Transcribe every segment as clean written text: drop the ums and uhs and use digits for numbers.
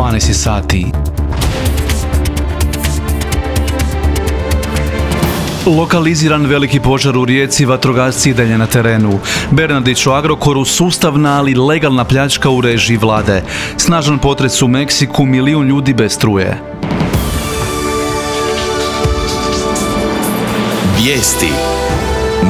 12 sati. Lokaliziran veliki požar u Rijeci, vatrogasci i dalje na terenu. Bernardić o Agrokoru, sustavna ali legalna pljačka u režiji vlade. Snažan potres u Meksiku, 1 milijun ljudi bez struje. Vijesti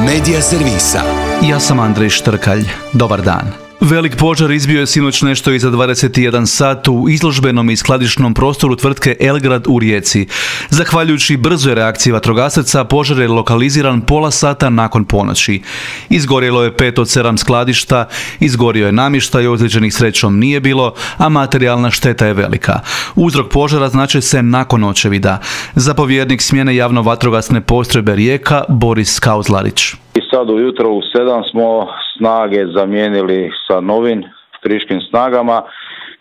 Medija servisa. Ja sam Andrej Štrkalj. Dobar dan. Velik požar izbio je sinoć nešto iza 21 sat u izložbenom i skladišnom prostoru tvrtke Elgrad u Rijeci. Zahvaljujući brzoj reakciji vatrogasaca, požar je lokaliziran pola sata nakon ponoći. Izgorjelo je 5 od 7 skladišta, izgorio je namještaj, ozlijeđenih srećom nije bilo, a materijalna šteta je velika. Uzrok požara znače se nakon očevida. Zapovjednik smjene javno-vatrogasne postrojbe Rijeka Boris Kauzlarić. I sad ujutro u 7 smo snage zamijenili sa novim friškim snagama,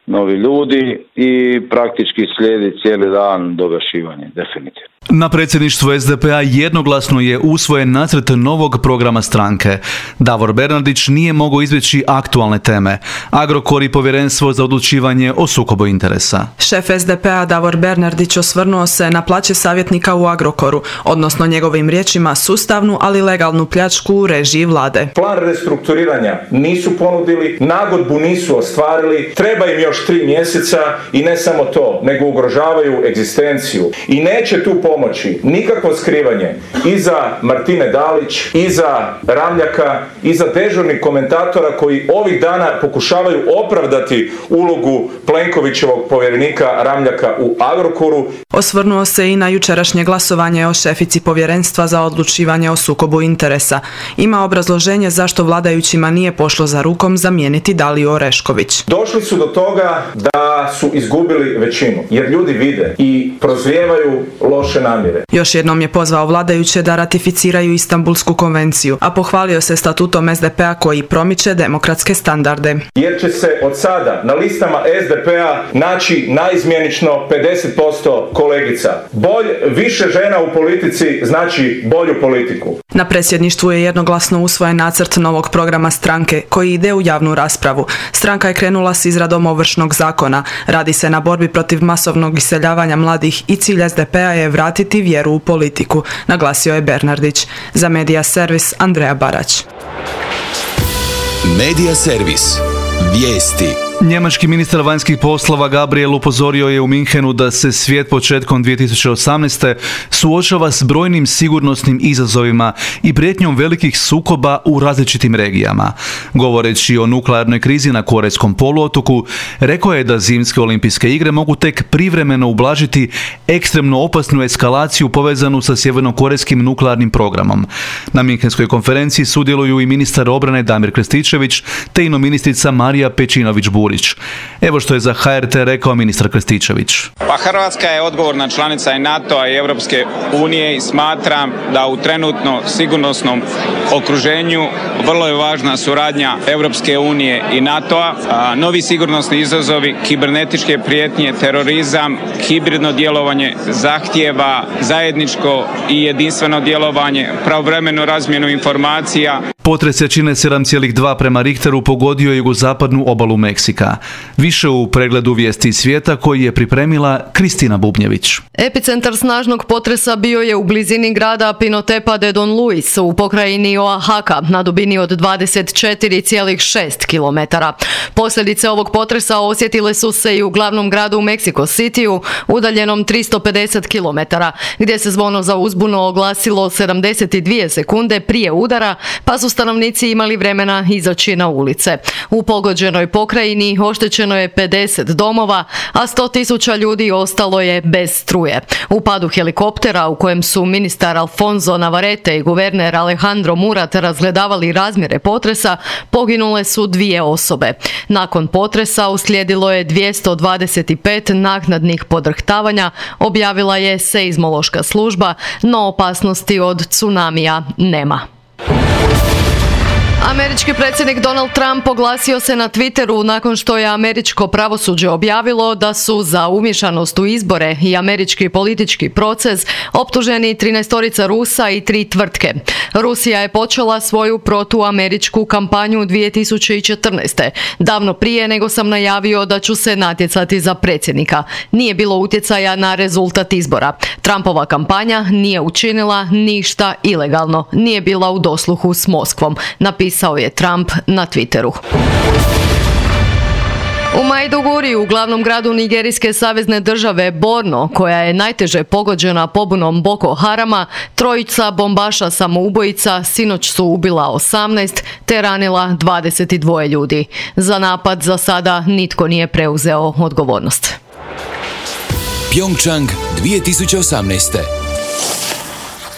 novi ljudi i praktički slijedi cijeli dan dogašivanje, definitivno. Na predsjedništvu SDP-a jednoglasno je usvojen nacrt novog programa stranke. Davor Bernardić nije mogao izbjeći aktualne teme. Agrokor i povjerenstvo za odlučivanje o sukobu interesa. Šef SDP-a Davor Bernardić osvrnuo se na plaće savjetnika u Agrokoru, odnosno njegovim riječima sustavnu, ali legalnu pljačku u režiji vlade. Plan restrukturiranja nisu ponudili, nagodbu nisu ostvarili, treba im još 3 mjeseca i ne samo to, nego ugrožavaju egzistenciju. I neće tu pomoći nikakvo skrivanje iza Martine Dalić, iza Ramljaka, iza dežurnih komentatora koji ovih dana pokušavaju opravdati ulogu Plenkovićevog povjerenika Ramljaka u Agrokoru. Osvrnuo se i na jučerašnje glasovanje o šefici povjerenstva za odlučivanje o sukobu interesa. Ima obrazloženje zašto vladajućima nije pošlo za rukom zamijeniti Daliju Orešković. Došli su do toga da su izgubili većinu, jer ljudi vide i prozrijevaju loše namjere. Još jednom je pozvao vladajuće da ratificiraju Istanbulsku konvenciju, a pohvalio se statutom SDP-a koji promiče demokratske standarde. Jer će se od sada na listama SDP-a naći naizmjenično 50% kolegica. Više žena u politici znači bolju politiku. Na predsjedništvu je jednoglasno usvojen nacrt novog programa stranke koji ide u javnu raspravu. Stranka je krenula s izradom Ovršnog zakona. Radi se na borbi protiv masovnog iseljavanja mladih i cilj SDP-a je vratiti vjeru u politiku, naglasio je Bernardić. Za Medija servis Andreja Barać. Medija servis. Vijesti. Njemački ministar vanjskih poslova Gabriel upozorio je u Minhenu da se svijet početkom 2018. suočava s brojnim sigurnosnim izazovima i prijetnjom velikih sukoba u različitim regijama. Govoreći o nuklearnoj krizi na Korejskom poluotoku, rekao je da zimske olimpijske igre mogu tek privremeno ublažiti ekstremno opasnu eskalaciju povezanu sa sjevernokorejskim nuklearnim programom. Na Minhenskoj konferenciji sudjeluju i ministar obrane Damir Krstičević te ino ministrica Marija Pejčinović-Burić. Evo što je za HRT rekao ministar Krstičević. Pa Hrvatska je odgovorna članica i NATO-a i Europske unije i smatram da u trenutno sigurnosnom okruženju vrlo je važna suradnja Europske unije i NATO-a. Novi sigurnosni izazovi, kibernetičke prijetnje, terorizam, hibridno djelovanje zahtijeva zajedničko i jedinstveno djelovanje, pravovremenu razmjenu informacija. Potres jačine 7,2 prema Richteru pogodio je jugozapadnu obalu Meksika. Više u pregledu vijesti svijeta koji je pripremila Kristina Bubnjević. Epicentar snažnog potresa bio je u blizini grada Pinotepa de Don Luis u pokrajini Oaxaca na dubini od 24,6 km. Posljedice ovog potresa osjetile su se i u glavnom gradu Mexico Cityu, udaljenom 350 km, gdje se zvono za uzbunu oglasilo 72 sekunde prije udara, pa su stanovnici imali vremena izaći na ulice. U pogođenoj pokrajini oštećeno je 50 domova, a 100.000 ljudi ostalo je bez struje. U padu helikoptera u kojem su ministar Alfonso Navarrete i guverner Alejandro Murat razgledavali razmjere potresa, poginule su 2 osobe. Nakon potresa uslijedilo je 225 naknadnih podrhtavanja, objavila je seizmološka služba, no opasnosti od tsunamija nema. Američki predsjednik Donald Trump oglasio se na Twitteru nakon što je američko pravosuđe objavilo da su za umješanost u izbore i američki politički proces optuženi 13 Rusa i 3 tvrtke. Rusija je počela svoju protuameričku kampanju 2014. davno prije nego sam najavio da ću se natjecati za predsjednika. Nije bilo utjecaja na rezultat izbora. Trumpova kampanja nije učinila ništa ilegalno, nije bila u dosluhu s Moskvom, napisao je Trump na Twitteru. U Maiduguri, u glavnom gradu nigerijske savezne države Borno, koja je najteže pogođena pobunom Boko Harama, trojica bombaša samoubojica sinoć su ubila 18 te ranila 22 ljudi. Za napad za sada nitko nije preuzeo odgovornost. Pyeongchang 2018.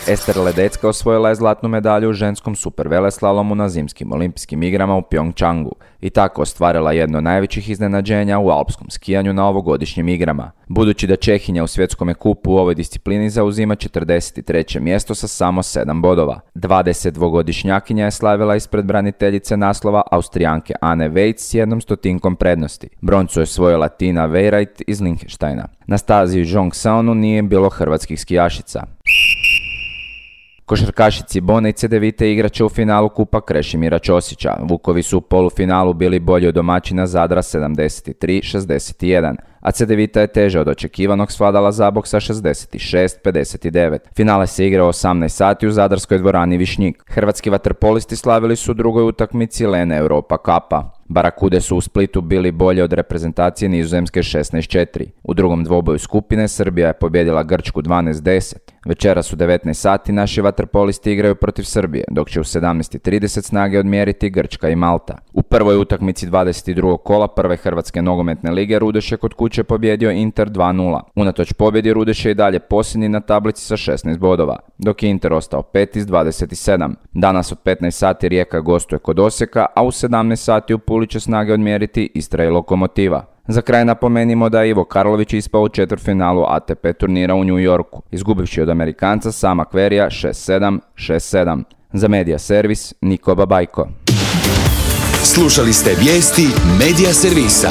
Ester Ledecka osvojila je zlatnu medalju u ženskom superveleslalomu na zimskim olimpijskim igrama u Pyeongchangu i tako ostvarila jedno od najvećih iznenađenja u alpskom skijanju na ovogodišnjim igrama. Budući da Čehinja u svjetskom kupu u ovoj disciplini zauzima 43. mjesto sa samo 7 bodova. 22-godišnjakinja je slavila ispred braniteljice naslova Austrijanke Anne Weitz s 1/100 prednosti. Broncu je osvojila Tina Weireit iz Liechtensteina. Na stazi u Jongseonu nije bilo hrvatskih skijašica. Košarkašici Bone i Cedevite igraće u finalu Kupa Krešimira Ćosića. Vukovi su u polufinalu bili bolji od domaćina Zadra 73-61, a Cedevita je teže od očekivanog svladala Zabok sa 66-59. Finale se igrao 18 sati u zadarskoj dvorani Višnjik. Hrvatski vaterpolisti slavili su u drugoj utakmici Lene Europa Cupa. Barakude su u Splitu bili bolje od reprezentacije Nizozemske 16-4. U drugom dvoboju skupine Srbija je pobjedila Grčku 12-10. Večeras u 19 sati naši vaterpolisti igraju protiv Srbije, dok će u 17:30 snage odmjeriti Grčka i Malta. U prvoj utakmici 22. kola prve Hrvatske nogometne lige Rudeš je kod kuće pobjedio Inter 2:0. Unatoč pobjedi Rudeš je i dalje posljednji na tablici sa 16 bodova, dok je Inter ostao 5 iz 27. Danas od 15 sati Rijeka gostuje kod Osijeka, a u 17 sati u Puli će snage odmjeriti Istra i Lokomotiva. Za kraj napomenimo da je Ivo Karlović ispao u četvrtfinalu ATP turnira u New Yorku, izgubivši od Amerikanca Sama Querrya 6-7, 6-7. Za Media Servis, Niko Babajko. Slušali ste vijesti Media Servisa.